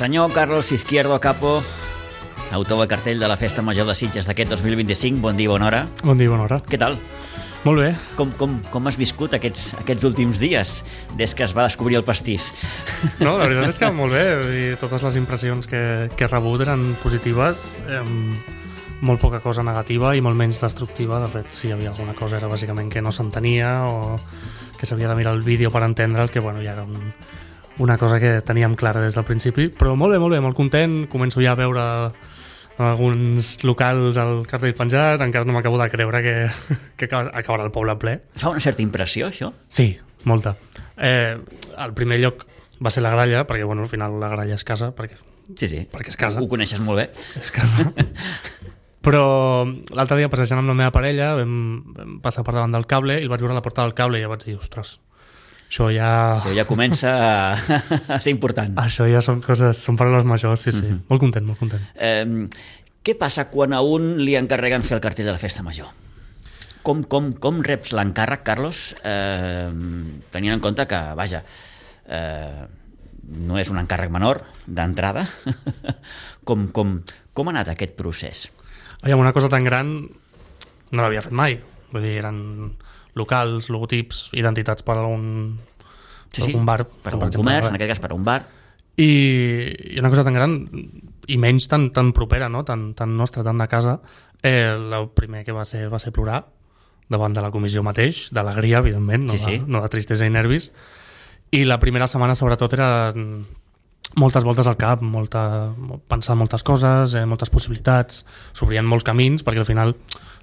Senyor Carlos Izquierdo Capo, autor del cartell de la Festa Major de Sitges d'aquest 2025. Bon dia, bona hora. Bon dia, bona hora. Què tal? Molt bé. Com has viscut aquests últims dies, des que es va descobrir el pastís? No, la veritat és que molt bé. I totes les impressions que he rebut eren positives, molt poca cosa negativa i molt menys destructiva. De fet, si hi havia alguna cosa era bàsicament que no s'entenia o que s'havia de mirar el vídeo per entendre el que ja era una cosa que teníem clara des del principi. Però molt bé, molt content. Començo ja a veure en alguns locals el cartell penjat. Encara no m'acabo de creure que acabarà el poble ple. Fa una certa impressió, això? Sí, molta. El primer lloc va ser la Gralla, perquè al final la Gralla és casa, perquè és casa. Ho coneixes molt bé. És casa. Però l'altre dia, passejant amb la meva parella, vam passar per davant del cable i el vaig veure a la porta del cable i ja vaig dir, ostres, això ja comença a ser important. Això ja són paraules majors, sí. Molt content. Què passa quan a un li encarreguen fer el cartell de la Festa Major? Com reps l'encàrrec, Carlos, tenint en compte que, no és un encàrrec menor d'entrada? Com ha anat aquest procés? Una cosa tan gran no l'havia fet mai. Vull dir, eren locals, logotips, identitats per algun bar. Per algun comerç, en aquest cas per un bar. I una cosa tan gran, i menys tan propera, no? tan nostra, tan de casa, el primer que va ser plorar davant de la comissió mateix, d'alegria, evidentment, no de tristesa i nervis. I la primera setmana, sobretot, era moltes voltes al cap, pensar moltes coses, moltes possibilitats, s'obrien molts camins, perquè al final,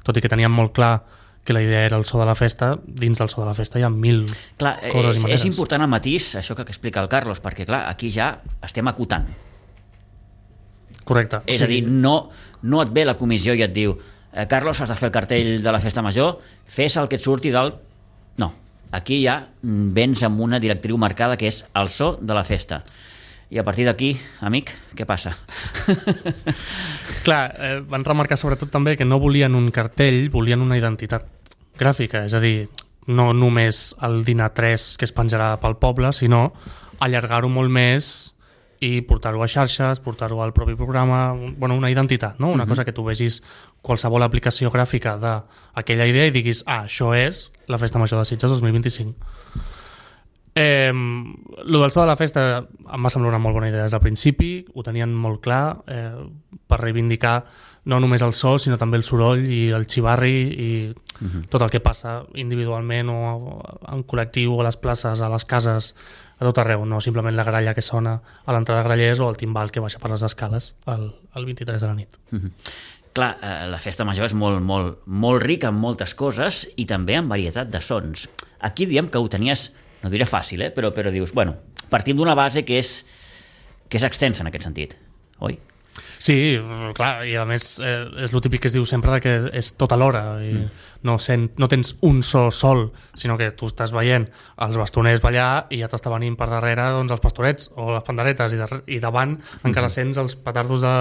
tot i que teníem molt clar que la idea era el so de la festa, dins del so de la festa hi ha mil coses i maneres. És important el matís, això que explica el Carlos, perquè clar, aquí ja estem acotant. Correcte. És a dir, no et ve la comissió i et diu Carlos, has de fer el cartell de la Festa Major, fes el que et surti del... No, aquí ja vens amb una directriu marcada que és el so de la festa. I a partir d'aquí, amic, què passa? Clar, van remarcar sobretot també que no volien un cartell, volien una identitat gràfica, és a dir, no només el dinar 3 que es penjarà pel poble, sinó allargar-ho molt més i portar-ho a xarxes, portar-ho al propi programa, una identitat, no? Una cosa que tu vegis qualsevol aplicació gràfica d'aquella idea i diguis, això és la Festa Major de Sitges 2025. Lo del so de la festa em va semblar una molt bona idea des del principi, ho tenien molt clar, per reivindicar no només el so sinó també el soroll i el xivarri i tot el que passa individualment o en col·lectiu, a les places, a les cases, a tot arreu, no simplement la gralla que sona a l'entrada de Grallers o el timbal que baixa per les escales el 23 de la nit. Clar, la Festa Major és molt rica en moltes coses i també en varietat de sons. Aquí diem que ho tenies, no diré fàcil, però dius, partim d'una base que és extensa en aquest sentit, oi? Sí, clar, i a més és el típic que es diu sempre que és tot alhora i no tens un so sol, sinó que tu estàs veient els bastoners ballar i ja t'està venint per darrere els pastorets o les panderetes i davant encara sents els petardos de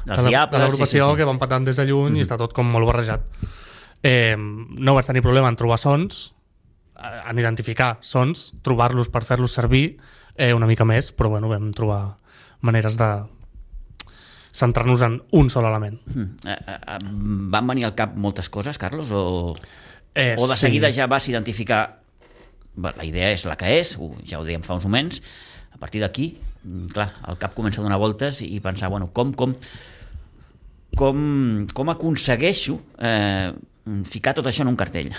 l'agrupació que van patant des de lluny i està tot com molt barrejat. No vaig tenir problema en trobar sons, en identificar sons, trobar-los per fer-los servir una mica més, però vam trobar maneres de centrar-nos en un sol element. Van venir al cap moltes coses, Carlos? O de seguida ja vas identificar la idea és la que és, ja ho dèiem fa uns moments, a partir d'aquí, clar, el cap comença a donar voltes i pensar, com aconsegueixo ficar tot això en un cartell?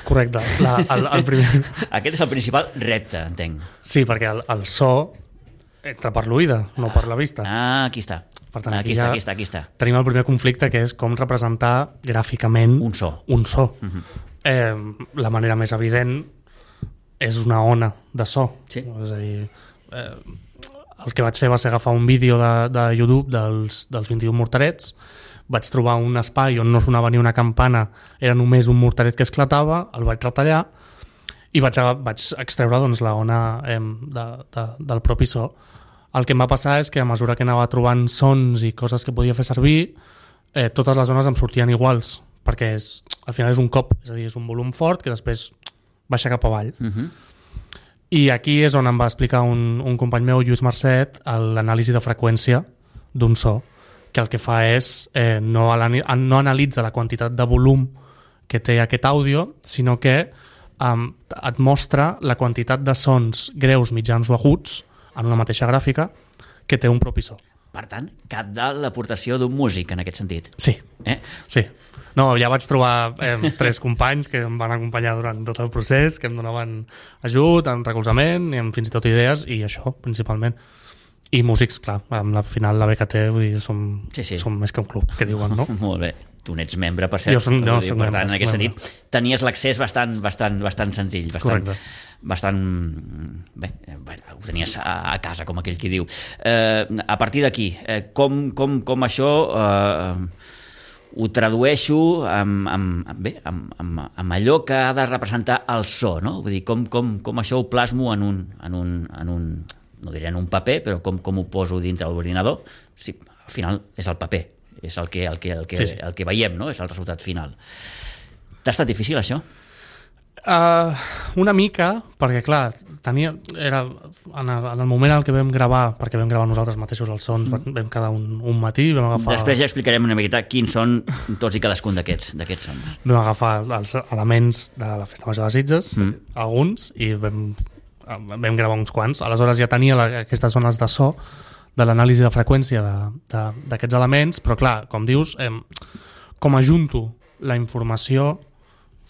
Correcte. El primer... Aquest és el principal repte, entenc. Sí, perquè el so entra per l'oïda, no per la vista. Aquí està. Per tant, aquí està. Tenim el primer conflicte, que és com representar gràficament un so. La manera més evident és una ona de so. Sí. És a dir, el que vaig fer va ser agafar un vídeo de YouTube dels 21 morterets, vaig trobar un espai on no sonava ni una campana, era només un morteret que esclatava, el vaig retallar i vaig extreure la ona del propi so. El que em va passar és que a mesura que anava trobant sons i coses que podia fer servir, totes les zones em sortien iguals, perquè al final és un cop, és a dir, és un volum fort que després baixa cap avall. I aquí és on em va explicar un company meu, Lluís Marcet, l'anàlisi de freqüència d'un so, que el que fa és no analitza la quantitat de volum que té aquest àudio, sinó que et mostra la quantitat de sons greus, mitjans o aguts en una mateixa gràfica que té un propi so. Per tant, cap dalt l'aportació d'un músic en aquest sentit. Sí, sí. No, ja vaig trobar 3 companys que em van acompanyar durant tot el procés, que em donaven ajut, en recolzament, i fins i tot idees, i això, principalment. I músics, clar, al final la BKT, vull dir, som més que un club, que diuen, no? Molt bé. Tu n'ets membre, per cert. Jo soc per tant, en aquest sentit, tenies l'accés bastant senzill, bastant bé, ho tenies a casa, com aquell qui diu. A partir d'aquí, com això ho tradueixo amb allò que ha de representar el so, no? Vull dir, com això ho plasmo en un no diré en un paper, però com ho poso dintre l'ordinador? Sí, al final és el paper, és el que veiem, no? És el resultat final. T'ha estat difícil, això? Una mica, perquè clar, era en el moment en què vam gravar, perquè vam gravar nosaltres mateixos els sons, vam quedar un matí, vam agafar... Després ja explicarem una miqueta quins són tots i cadascun d'aquests sons. Vam agafar els elements de la Festa Major de Sitges, alguns, i vam gravar uns quants. Aleshores ja tenia aquestes zones de so, de l'anàlisi de freqüència d'aquests elements, però clar, com dius, com ajunto la informació,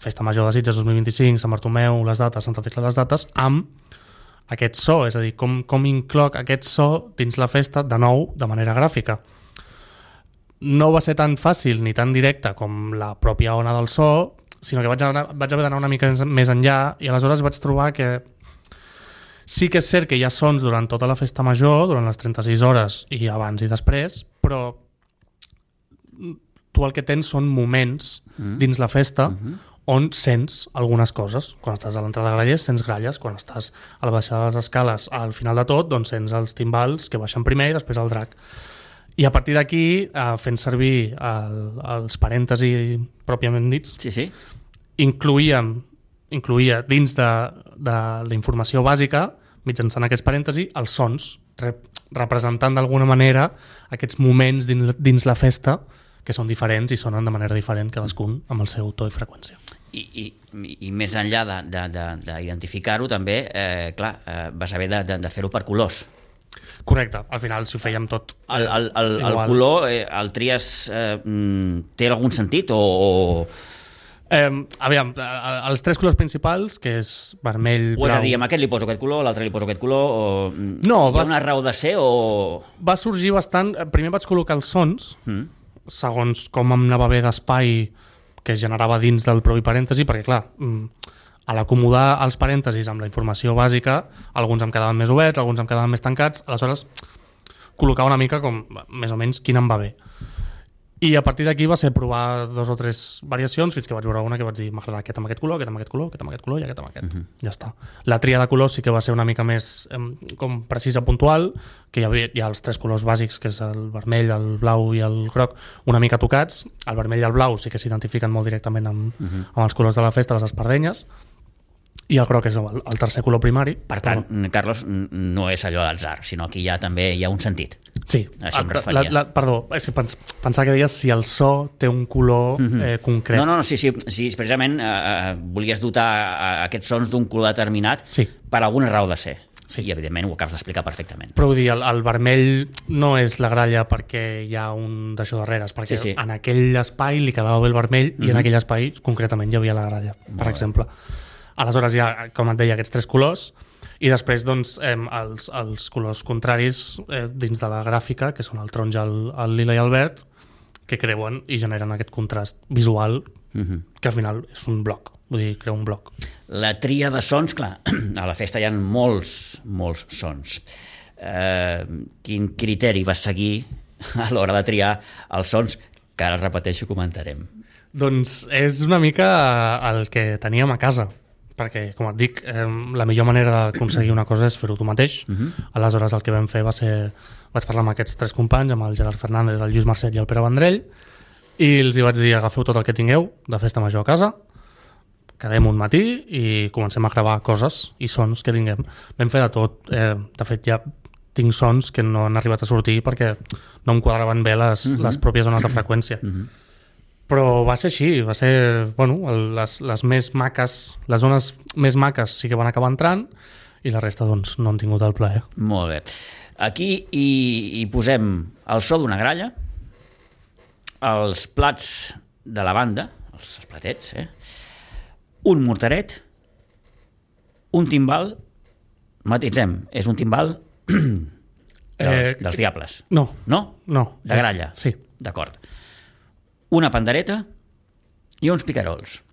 Festa Major de Sitges 2025, Sant Bartomeu, les dates, Santa Tecla, les dates, amb aquest so, és a dir, com incloc aquest so dins la festa, de nou, de manera gràfica. No va ser tan fàcil ni tan directe com la pròpia ona del so, sinó que vaig haver d'anar una mica més enllà, i aleshores vaig trobar que sí que és cert que hi ha sons durant tota la festa major, durant les 36 hores i abans i després, però tu el que tens són moments dins la festa on sents algunes coses. Quan estàs a l'entrada de grallers, sents gralles. Quan estàs a la baixada de les escales, al final de tot, doncs sents els timbals que baixen primer i després el drac. I a partir d'aquí, fent servir els parèntesi pròpiament dits, incluïa dins de la informació bàsica, mitjançant aquests parèntesi, els sons, representant d'alguna manera aquests moments dins la festa que són diferents i sonen de manera diferent cadascun amb el seu to i freqüència. I més enllà d'identificar-ho també, clar, vas haver de fer-ho per colors. Correcte, al final si ho fèiem tot el color, el tries, té algun sentit o... Aviam, els 3 colors principals, que és vermell, blau... O és a dir, amb aquest li poso aquest color, l'altre li poso aquest color, o... No, hi ha una raó de ser o... Va sorgir bastant... Primer vaig col·locar els sons, segons com em anava bé d'espai que generava dins del propi parèntesi, perquè clar, a l'acomodar els parèntesis amb la informació bàsica, alguns em quedaven més oberts, alguns em quedaven més tancats, aleshores col·locar una mica com més o menys quin em va bé. I a partir d'aquí va ser provar 2 o 3 variacions fins que vaig veure una que vaig dir m'agrada aquest amb aquest color, aquest amb aquest color, aquest amb aquest color i aquest amb aquest. Ja està. La tria de colors sí que va ser una mica més com precisa, puntual, que hi ha els 3 colors bàsics, que és el vermell, el blau i el groc, una mica tocats. El vermell i el blau sí que s'identifiquen molt directament amb els colors de la festa, les espardenyes, i el groc és el tercer color primari. Per tant, Carlos, no és allò d'atzar, sinó que també hi ha un sentit. Sí, això em referia. Perdó, és que pensava que deies si el so té un color concret. No, sí, precisament volies dotar aquests sons d'un color determinat per alguna raó de ser. Sí. I evidentment ho acabes d'explicar perfectament. Però vull dir, el vermell no és la gralla perquè hi ha un d'això darrere, perquè en aquell espai li quedava bé el vermell i en aquell espai concretament hi havia la gralla, per exemple. Aleshores hi ha, com et deia, aquests 3 colors i després doncs, els colors contraris dins de la gràfica, que són el taronja, el lila i el verd, que creuen i generen aquest contrast visual que al final és un bloc, vull dir, crea un bloc. La tria de sons, clar, a la festa hi ha molts sons. Quin criteri vas seguir a l'hora de triar els sons, que ara repeteixo, comentarem? Doncs és una mica el que teníem a casa, perquè, com et dic, la millor manera d'aconseguir una cosa és fer-ho tu mateix. Aleshores el que vam fer va ser... Vaig parlar amb aquests 3 companys, amb el Gerard Fernández, el Lluís Marcet i el Pere Vendrell, i els hi vaig dir, agafeu tot el que tingueu de festa major a casa, quedem un matí i comencem a gravar coses i sons que tinguem. Vam fer de tot. De fet, ja tinc sons que no han arribat a sortir perquè no em quadraven bé les pròpies zones de freqüència. Però va ser així, va ser, bueno, les més maques, les zones més maques sí que van acabar entrant i la resta, doncs, no han tingut el plaer. Molt bé. Aquí hi posem el so d'una gralla, els plats de la banda, els platets, un mortaret, un timbal, matitzem, és un timbal dels diables. No. No? No. De gralla? Sí. D'acord. Una pandereta i uns picarols.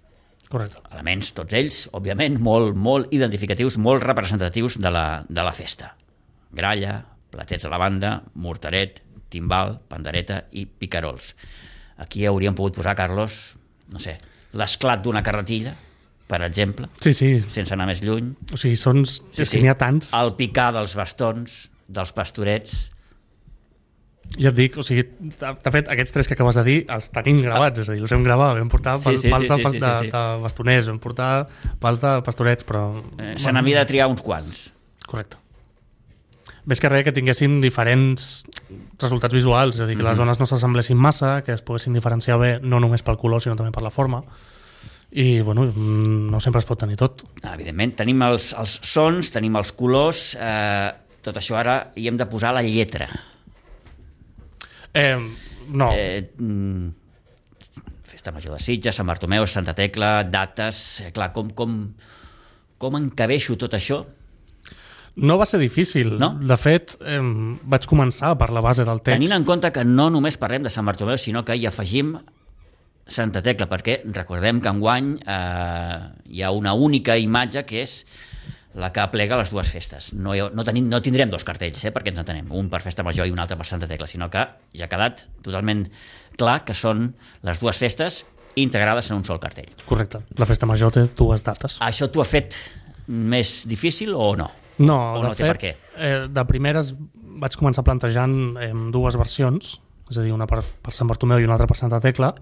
Correcte. Elements, tots ells, òbviament, molt identificatius, molt representatius de la festa. Gralla, platets a la banda, mortaret, timbal, pandereta i picarols. Aquí hauríem pogut posar, Carlos, no sé, l'esclat d'una carretilla, per exemple, sí. sense anar més lluny. O sigui, sons... Sí, és que n'hi ha tants. El picar dels bastons, dels pastorets... Ja et dic, o sigui, de fet, aquests tres que acabes de dir els tenim gravats, és a dir, els hem gravat, vam portar pals de bastoners, vam portar pals de pastorets, però... Se n'havia de triar uns quants. Correcte. Ves que res que tinguessin diferents resultats visuals, és a dir, que les zones no s'assemblessin massa, que es poguessin diferenciar bé no només pel color, sinó també per la forma, i, bueno, no sempre es pot tenir tot. Evidentment, tenim els sons, tenim els colors, tot això ara hi hem de posar la lletra. No. Festa Major de Sitges, Sant Bartomeu, Santa Tecla, dates... Clar, com encabeixo tot això? No va ser difícil. No? De fet, vaig començar per la base del text. Tenint en compte que no només parlem de Sant Bartomeu, sinó que hi afegim Santa Tecla, perquè recordem que enguany hi ha una única imatge que és la que aplega les dues festes. No tindrem dos cartells, perquè ens entenem, un per Festa Major i un altre per Santa Tecla, sinó que ja ha quedat totalment clar que són les dues festes integrades en un sol cartell. Correcte. La Festa Major té dues dates. Això t'ho ha fet més difícil o no? No, o no té per què? De primeres vaig començar plantejant dues versions, és a dir, una per Sant Bartomeu i una altra per Santa Tecla,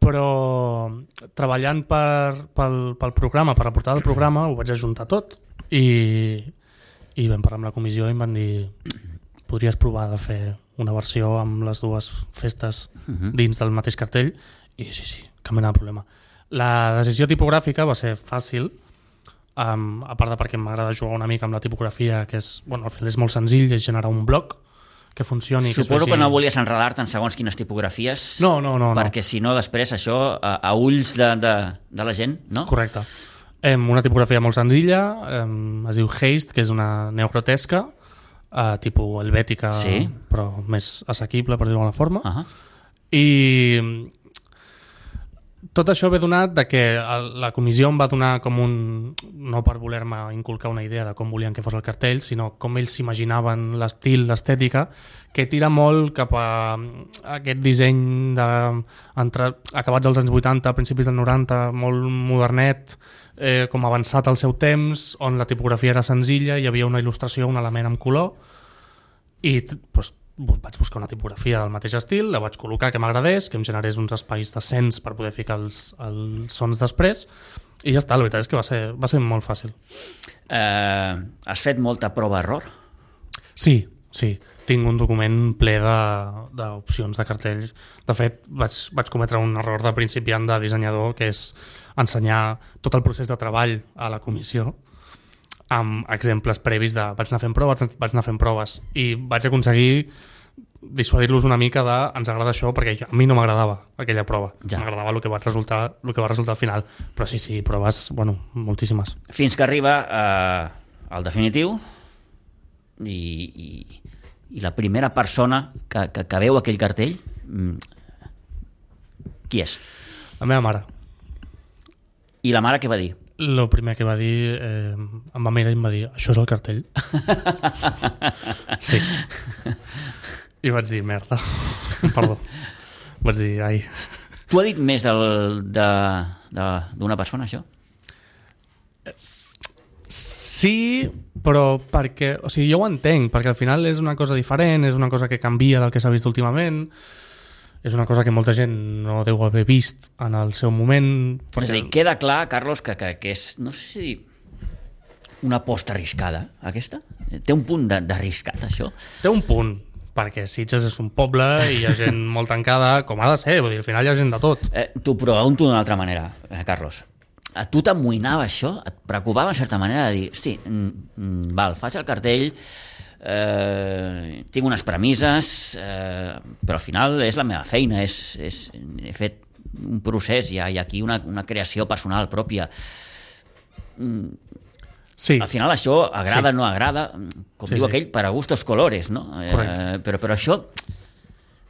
però treballant pel programa, per la portada del programa, ho vaig ajuntar tot i vam parlar amb la comissió i em van dir podries provar de fer una versió amb les dues festes dins del mateix cartell i sí, cap mena de problema. La decisió tipogràfica va ser fàcil, a part de perquè m'agrada jugar una mica amb la tipografia, que és, bueno, al final és molt senzill, és generar un bloc que funcioni. Suposo que no volies enredar-te en segons quines tipografies. No. Perquè si no, després això, a ulls de la gent, no? Correcte. Una tipografia molt senzilla, es diu Haste, que és una neogrotesca, tipus helvètica, sí, però més assequible, per dir-ho d'alguna forma. I tot això ve donat de que la comissió em va donar com no per voler-me inculcar una idea de com volien que fos el cartell, sinó com ells s'imaginaven l'estil, l'estètica, que tira molt cap a aquest disseny acabats als anys 80, principis del 90, molt modernet, com avançat al seu temps, on la tipografia era senzilla, hi havia una il·lustració, un element amb color, i doncs vaig buscar una tipografia del mateix estil, la vaig col·locar que m'agradés, que em generés uns espais decents per poder ficar els sons després, i ja està, la veritat és que va ser molt fàcil. Has fet molta prova-error? Sí, tinc un document ple d'opcions de cartells. De fet, vaig cometre un error de principiant de dissenyador, que és ensenyar tot el procés de treball a la comissió, amb exemples previs de vaig anar fent proves i vaig aconseguir dissuadir-los una mica de ens agrada això, perquè a mi no m'agradava aquella prova, m'agradava el que va resultar al final, però sí, proves, bueno, moltíssimes. Fins que arriba al definitiu i la primera persona que veu aquell cartell, qui és? La meva mare. I la mare què va dir? El primer que va dir, em va mirar i em va dir, això és el cartell? Sí. I vaig dir, merda. Perdó. Vaig dir, ai. Tu ha dit més d'una persona, això? Sí, però perquè... O sigui, jo ho entenc, perquè al final és una cosa diferent, és una cosa que canvia del que s'ha vist últimament, és una cosa que molta gent no deu haver vist en el seu moment. És a dir, queda clar, Carlos, que és, no sé si dir, una aposta arriscada, aquesta? Té un punt d'arriscat, això? Té un punt, perquè Sitges és un poble i hi ha gent molt tancada, com ha de ser, vull dir, al final hi ha gent de tot. T'ho pregunto d'una altra manera, Carlos. A tu t'amoïnava això? Et preocupava en certa manera de dir, hosti, val, faig el cartell, tinc unes premisses, però al final és la meva feina, he fet un procés, hi ha aquí una creació personal pròpia. Sí. Al final això agrada o no agrada, com diu aquell, per a gustos colores, no? Però això,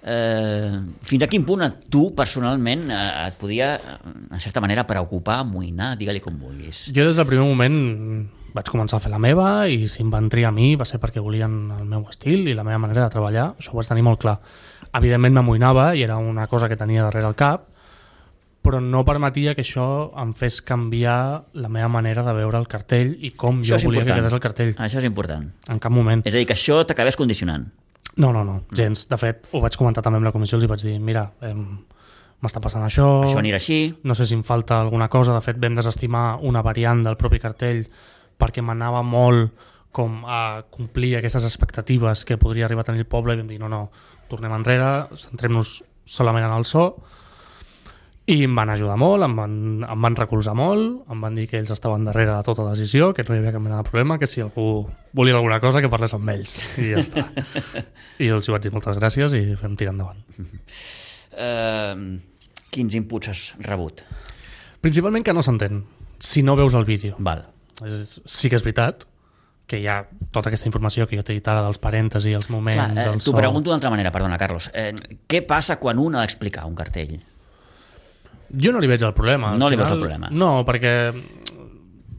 fins a quin punt a tu personalment et podia, en certa manera, preocupar, amoïnar, digue-li com vulguis. Jo des del primer moment vaig començar a fer la meva i si em van triar a mi va ser perquè volien el meu estil i la meva manera de treballar, això ho vaig tenir molt clar. Evidentment m'amoïnava i era una cosa que tenia darrere el cap, però no permetia que això em fes canviar la meva manera de veure el cartell i com jo volia que quedés el cartell. Això és important. En cap moment. És a dir, que això t'acabés condicionant. No, gens. De fet, ho vaig comentar també amb la comissió, els vaig dir, mira, m'està passant això anirà així, no sé si em falta alguna cosa. De fet, vam desestimar una variant del propi cartell perquè m'anava molt com a complir aquestes expectatives que podria arribar a tenir el poble i vam dir, no, tornem enrere, centrem-nos solament en el so. I em van ajudar molt, em van recolzar molt, em van dir que ells estaven darrere de tota decisió, que no hi havia cap mena de problema, que si algú volia alguna cosa que parlés amb ells i ja està. I jo els vaig dir moltes gràcies i vam tirar endavant. Quins inputs has rebut? Principalment que no s'entén si no veus el vídeo. Val. Sí que és veritat que hi ha tota aquesta informació que jo t'he dit ara dels parèntesi, els moments, el so... T'ho pregunto d'una altra manera, perdona, Carlos. Què passa quan un ha d'explicar un cartell? Jo no li veig el problema. No li veig el problema? No, perquè,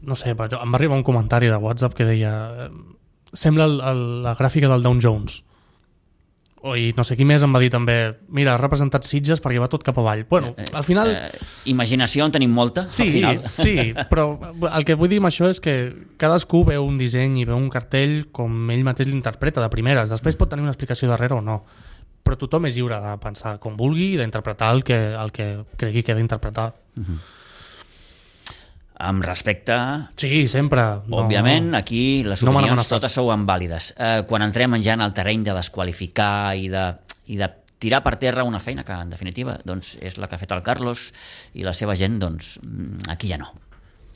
no sé, em va arribar un comentari de WhatsApp que deia sembla la gràfica del Dow Jones. I no sé qui més em va dir també, mira, ha representat Sitges perquè va tot cap avall. Bueno, al final... Imaginació en tenim molta, al final. Sí, però el que vull dir amb això és que cadascú veu un disseny i veu un cartell com ell mateix l'interpreta de primeres. Després pot tenir una explicació darrere o no. Però tothom és lliure de pensar com vulgui i d'interpretar el que cregui que ha d'interpretar. Amb respecte... Sí, sempre. Òbviament, aquí les opinions totes sou vàlides. Quan entrem ja en el terreny de desqualificar i de tirar per terra una feina que, en definitiva, doncs, és la que ha fet el Carlos i la seva gent, doncs, aquí ja no.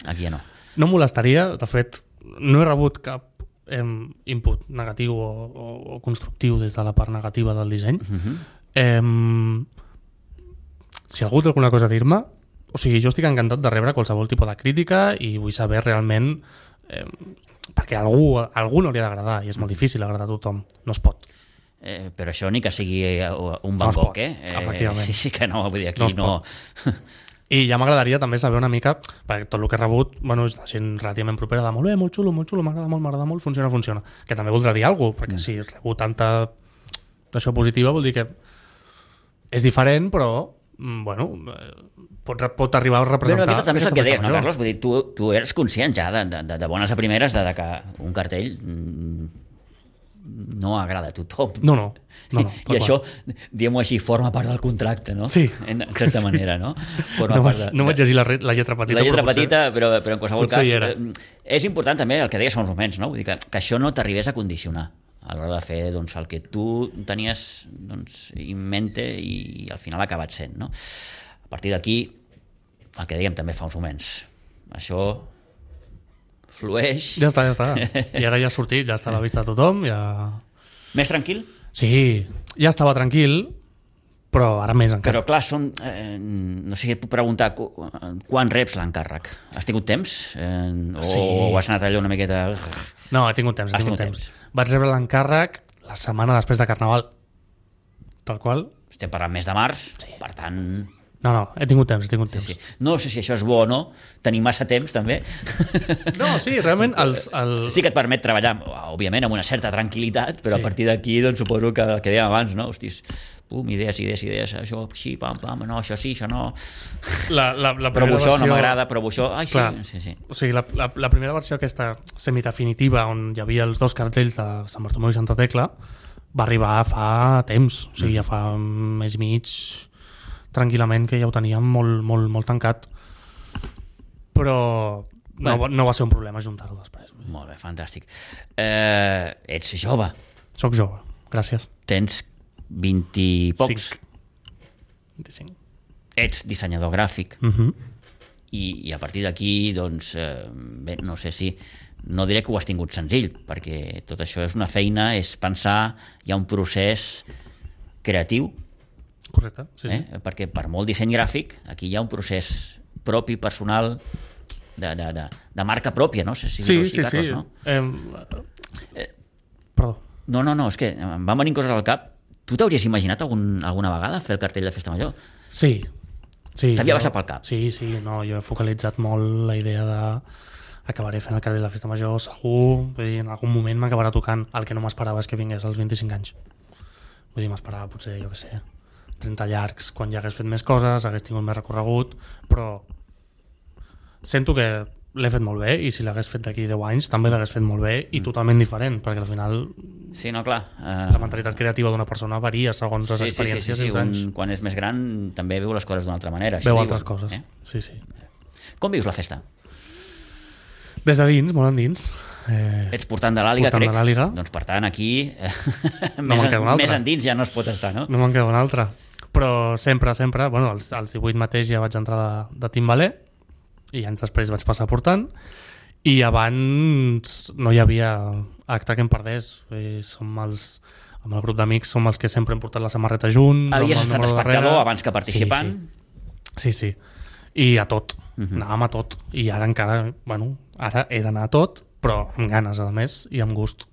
Aquí ja no. No em molestaria, de fet, no he rebut cap input negatiu o constructiu des de la part negativa del disseny. Si algú té alguna cosa a dir-me, o sigui, jo estic encantat de rebre qualsevol tipus de crítica i vull saber realment perquè a algú no li ha d'agradar i és molt difícil agradar a tothom, no es pot. Però això ni que sigui un Van Gogh, efectivament. Sí que no, vull dir, aquí no... I ja m'agradaria també saber una mica, perquè tot el que he rebut, bueno, és la gent relativament propera de molt bé, molt xulo, m'agrada molt, funciona. Que també voldrà dir alguna cosa, perquè si he rebut tanta això positiva vol dir que és diferent, però bueno, pot arribar a representar... Però també és el que deies, no, Carlos? Vull dir, tu eres conscient ja de bones a primeres de que un cartell no agrada a tothom. No. I això, diguem-ho així, forma part del contracte, no? Sí. En certa manera, no? No vaig llegir la lletra petita. La lletra petita, però en qualsevol cas... És important també el que deies fa uns moments, no? Vull dir que això no t'arribés a condicionar a l'hora de fer doncs, el que tu tenies en mente i al final ha acabat sent, no? A partir d'aquí, el que dèiem també fa uns moments, això flueix... Ja està. I ara ja ha sortit, ja està a la vista de tothom, ja... Més tranquil? Sí, ja estava tranquil, però ara més encara. Però clar, no sé si et puc preguntar quan reps l'encàrrec? Has tingut temps? O has anat allò una miqueta... No, he tingut temps. Vaig rebre l'encàrrec la setmana després de Carnaval, tal qual. Estem parlant mes de març, per tant... No, he tingut temps. Sí. No sé si això és bo o no, tenir massa temps també. No, sí, realment... Sí que et permet treballar, òbviament, amb una certa tranquil·litat, però a partir d'aquí doncs, suposo que el que dèiem abans, no? Hostis, idees, això així, pam, no, això sí, això no... Però això no m'agrada, però això... Ai, sí. O sigui, la primera versió aquesta semidefinitiva, on hi havia els dos cartells de Sant Bartomeu i Santa Tecla, va arribar fa temps, o sigui, ja fa mes i mig tranquil·lament que ja ho teníem molt tancat, però no va ser un problema juntar-ho després. Molt bé, fantàstic. Ets jove. Soc jove, gràcies. Tens 20 i pocs. 25. Ets dissenyador gràfic. I a partir d'aquí, doncs, bé, no sé si... No diré que ho has tingut senzill, perquè tot això és una feina, és pensar, hi ha un procés creatiu. Correcte, sí. Perquè per molt disseny gràfic, aquí hi ha un procés propi, personal, de marca pròpia, no? Sí. No? Perdó. No, és que em van venir coses al cap. Tu t'hauries imaginat alguna vegada fer el cartell de Festa Major? Sí. T'havia passat pel cap? Sí, no, jo he focalitzat molt la idea de acabaré fent el cartell de Festa Major, segur, vull dir, en algun moment m'acabarà tocant. El que no m'esperava és que vingués als 25 anys. Vull dir, m'esperava potser, jo què sé, 30 llargs, quan ja hagués fet més coses, hagués tingut més recorregut, però sento que l'he fet molt bé, i si l'hagués fet d'aquí 10 anys també l'hagués fet molt bé i totalment diferent, perquè al final sí, no, clar, la mentalitat creativa d'una persona varia segons les experiències i els anys. Quan és més gran també veu les coses d'una altra manera. Veu altres coses, sí. Com vius la festa? Des de dins, molt endins. Ets portant de l'Àliga, crec. Doncs per tant aquí més endins ja no es pot estar, no? No me'n queda una altra. Però sempre, bueno, als 18 mateix ja vaig entrar de timbaler, i anys després vaig passar portant, i abans no hi havia acte que em perdés. Amb el grup d'amics som els que sempre hem portat la samarreta junts. Havies estat espectador abans que participant? Sí. I a tot. Anàvem a tot. I ara encara, bueno, ara he d'anar a tot, però amb ganes, a més, i amb gust.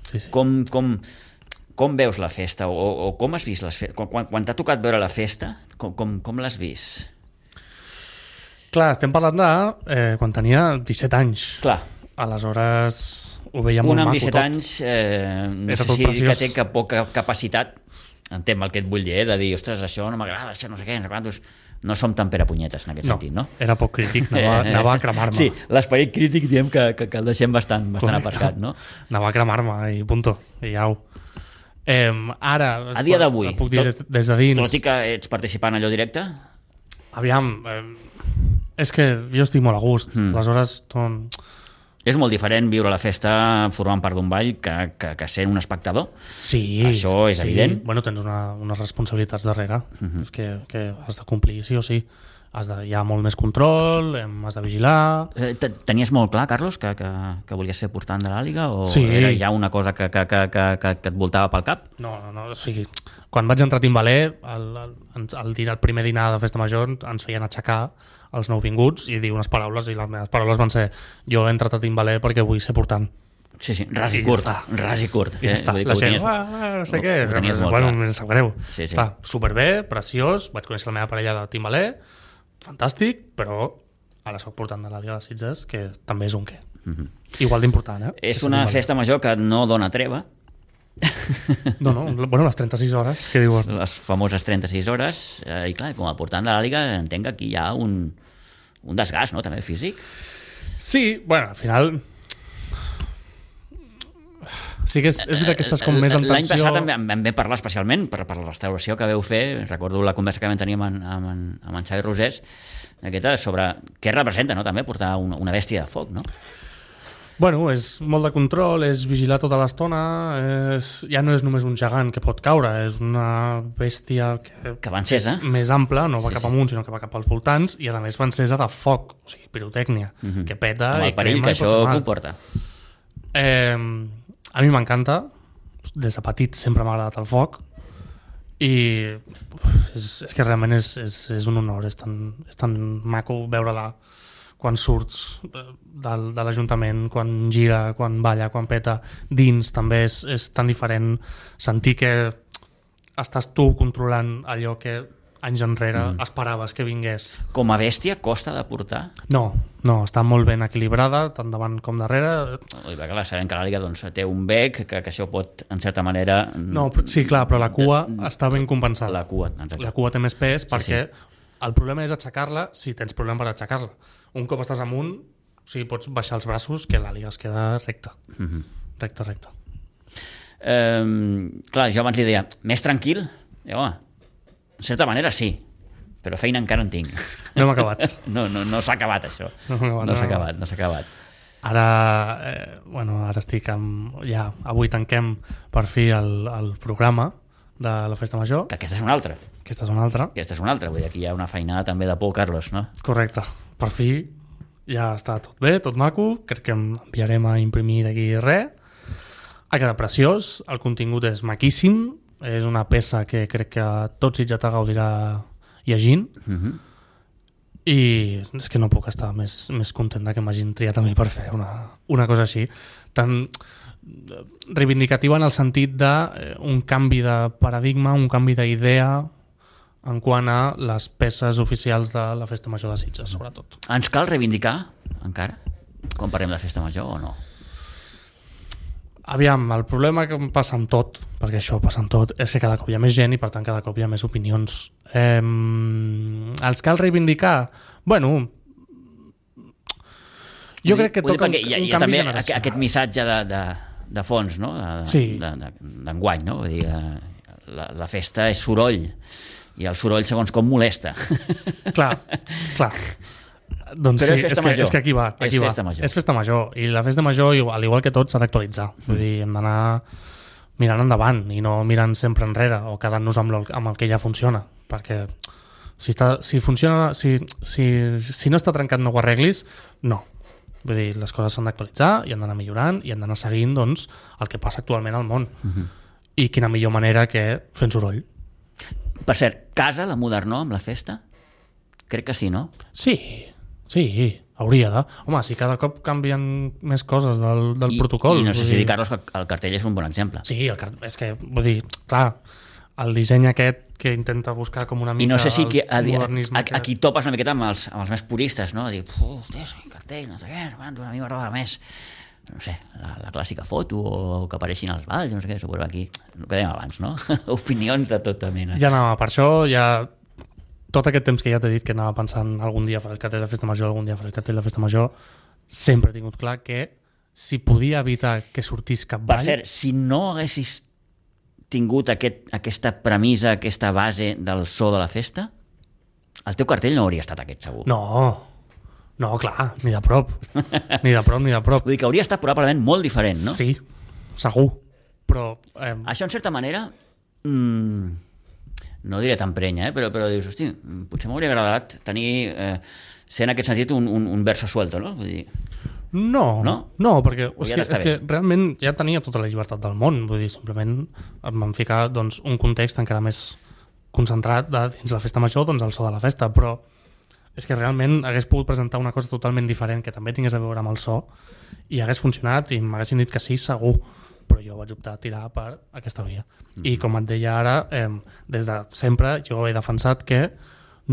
Sí. Com veus la festa? O com has vist les festes? Quan t'ha tocat veure la festa, com l'has vist? Clar, estem parlant de quan tenia 17 anys. Clar. Aleshores ho veia molt maco tot. Un amb 17 anys, no sé si dir que té poca capacitat, entenc el que et vull dir, de dir, ostres, això no m'agrada, això no sé què, no som tan perapunyetes en aquest sentit, no? Era poc crític, anava a cremar-me. Sí, l'esperit crític diem que el deixem bastant aparcat, no? Anava a cremar-me i punto, i au. Ara, a dia d'avui, puc dir des de dins. Tot i que ets participant allò directe? Aviam, és que jo estic molt a gust, aleshores... És molt diferent viure la festa formant part d'un ball que sent un espectador? Sí. Això és evident? Bueno, tens unes responsabilitats darrere que has de complir, sí o sí. Hi ha molt més control, has de vigilar... Tenies molt clar, Carlos, que volies ser portant de l'Àliga? O sí. Era ja una cosa que et voltava pel cap? No, o sigui, quan vaig entrar a timbaler, el primer dinar de Festa Major ens feien aixecar els nouvinguts i dir unes paraules, i les meves paraules van ser: jo he entrat a timbaler perquè vull ser portant. Sí, ras i curt. Ja està. La gent, no sé què, bueno, em sap greu. Està superbé, preciós, vaig conèixer la meva parella de timbaler, fantàstic, però ara soc portant de l'Àliga de Sitges, que també és un què. Igual d'important, És una festa major que no dona treva. No, bueno, les 36 hores, què diuen? Les famoses 36 hores, i clar, com a portant de l'Àliga entenc que aquí hi ha un desgast, no?, també físic. Sí, bueno, al final... Sí que és veritat que estàs com més en tensió... L'any passat em vam parlar especialment per la restauració que veu fer, recordo la conversa que vam tenir amb en Xavi Rosés, aquesta sobre què representa, no?, també portar una bèstia de foc, no? Bueno, és molt de control, és vigilar tota l'estona, ja no és només un gegant que pot caure, és una bèstia que va encesa, és més ampla, no va cap amunt, sinó que va cap als voltants, i a més va encesa de foc, o sigui, pirotècnia, que peta amb el perill que això comporta. A mi m'encanta, des de petit sempre m'ha agradat el foc, i és que realment és un honor, és tan maco veure-la quan surts de l'Ajuntament, quan gira, quan balla, quan peta, dins també és tan diferent sentir que estàs tu controlant allò que anys enrere esperaves que vingués. Com a bèstia costa de portar? No, està molt ben equilibrada, tant davant com darrere. Clar, sabem que l'Àliga té un bec, que això pot, en certa manera... No, sí, clar, però la cua està ben compensada. La cua té més pes perquè el problema és aixecar-la si tens problema per aixecar-la. Un cop estàs amunt, o sigui, pots baixar els braços que l'Àliga es queda recta. Recta. Clar, jo abans li deia, més tranquil? I, home, en certa manera sí, però feina encara en tinc. No hem acabat. No s'ha acabat, això. No s'ha acabat. Ara, ara estic ja, avui tanquem per fi el programa de la Festa Major. Que aquesta és una altra. Aquesta és una altra, vull dir, aquí hi ha una feinada també de por, Carlos, no? Correcte. Per fi ja està tot bé, tot maco, crec que enviarem a imprimir d'aquí res. Ha quedat preciós, el contingut és maquíssim, és una peça que crec que tot Sitges gaudirà llegint, i és que no puc estar més content que m'hagin triat a mi per fer una cosa així, tan reivindicativa en el sentit d'un canvi de paradigma, un canvi d'idea en quant a les peces oficials de la Festa Major de Sitges, sobretot. Ens cal reivindicar encara quan parlem de Festa Major o no? Aviam, el problema que passa amb tot, perquè això passa amb tot, és que cada cop hi ha més gent i per tant cada cop hi ha més opinions. Els cal reivindicar? Bueno, jo crec que toca un canvi generacional. Aquest missatge de fons, no? D'enguany, no? Vull dir, la festa és soroll i el soroll segons com molesta. Clar. Doncs però sí, és que aquí va. És festa major. I la festa major, al igual que tot, s'ha d'actualitzar. Vull dir, hem d'anar mirant endavant i no mirant sempre enrere o quedant-nos amb el que ja funciona. Perquè si funciona, si no està trencat no ho arreglis, no. Vull dir, les coses s'han d'actualitzar i han d'anar millorant i han d'anar seguint doncs, el que passa actualment al món. I quina millor manera que fent soroll. Per cert, casa la Modernó amb la festa? Crec que sí, no? Sí, hauria de. Home, si cada cop canvien més coses del protocol. I no sé si dir, Carlos, que el cartell és un bon exemple. Sí, és que, vull dir, clar, el disseny aquest que intenta buscar com una mica... I no sé si aquí topes una miqueta amb els més puristes, no? Dir, hòstia, cartell, no sé què, a mi m'agrada més. No sé, la clàssica foto o que apareixin als balls, no sé què, suposo aquí, el que dèiem abans, no? Opinions de tota mena. Ja anava, per això ja... Tot aquest temps que ja t'he dit que anava pensant algun dia faré el cartell de Festa Major, sempre he tingut clar que si podia evitar que sortís cap ball... Per cert, si no haguessis tingut aquesta premissa, aquesta base del so de la festa, el teu cartell no hauria estat aquest, segur. No, clar, ni de prop. Ni de prop. Vull dir que hauria estat probablement molt diferent, no? Sí, segur. Però... Això, en certa manera... no diré tan prenya, però dius, hosti, potser m'hauria agradat tenir, ser en aquest sentit un verso suelto, no? Vull dir... No, perquè és que realment ja tenia tota la llibertat del món, vull dir, simplement em van ficar doncs, un context encara més concentrat dins la festa major, doncs el so de la festa, però és que realment hagués pogut presentar una cosa totalment diferent que també tingués a veure amb el so i hagués funcionat i m'haguessin dit que sí, segur, però jo vaig optar a tirar per aquesta via. I com et deia ara, des de sempre jo he defensat que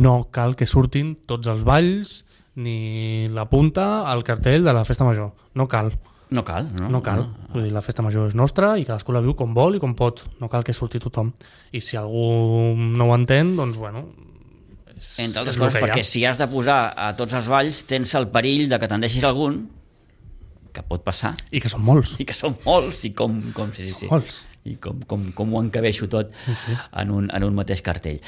no cal que surtin tots els balls ni la punta al cartell de la festa major. No cal. No cal. Vull dir, la festa major és nostra i cadascú la viu com vol i com pot. No cal que surti tothom. I si algú no ho entén, doncs bueno... Entre altres coses, perquè si has de posar a tots els balls tens el perill de que te'n deixis algun que pot passar. I que són molts. I com molts. I com ho encabeixo tot en un mateix cartell.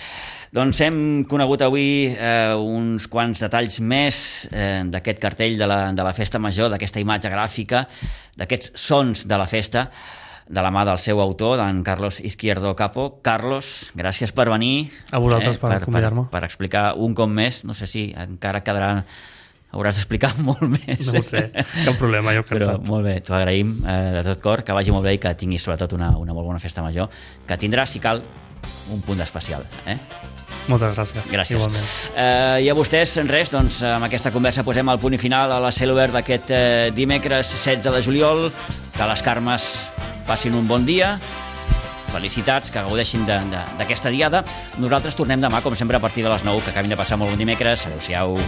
Doncs hem conegut avui uns quants detalls més d'aquest cartell de la Festa Major, d'aquesta imatge gràfica, d'aquests sons de la festa, de la mà del seu autor, d'en Carlos Izquierdo Capo. Carlos, gràcies per venir. A vosaltres per convidar-me. Per explicar un cop més, no sé si encara quedarà... Hauràs d'explicar molt més. No ho sé, cap problema, jo però molt bé, t'ho agraïm de tot cor, que vagi molt bé i que tinguis sobretot una molt bona festa major, que tindrà, si cal, un punt especial. Moltes gràcies. Igualment. I a vostès, res, doncs amb aquesta conversa posem el punt final a la Celobert d'aquest dimecres 16 de juliol. Que les Carmes passin un bon dia, felicitats, que gaudeixin d'aquesta diada. Nosaltres tornem demà, com sempre, a partir de les 9, que acabin de passar molt bon dimecres. Adéu-siau.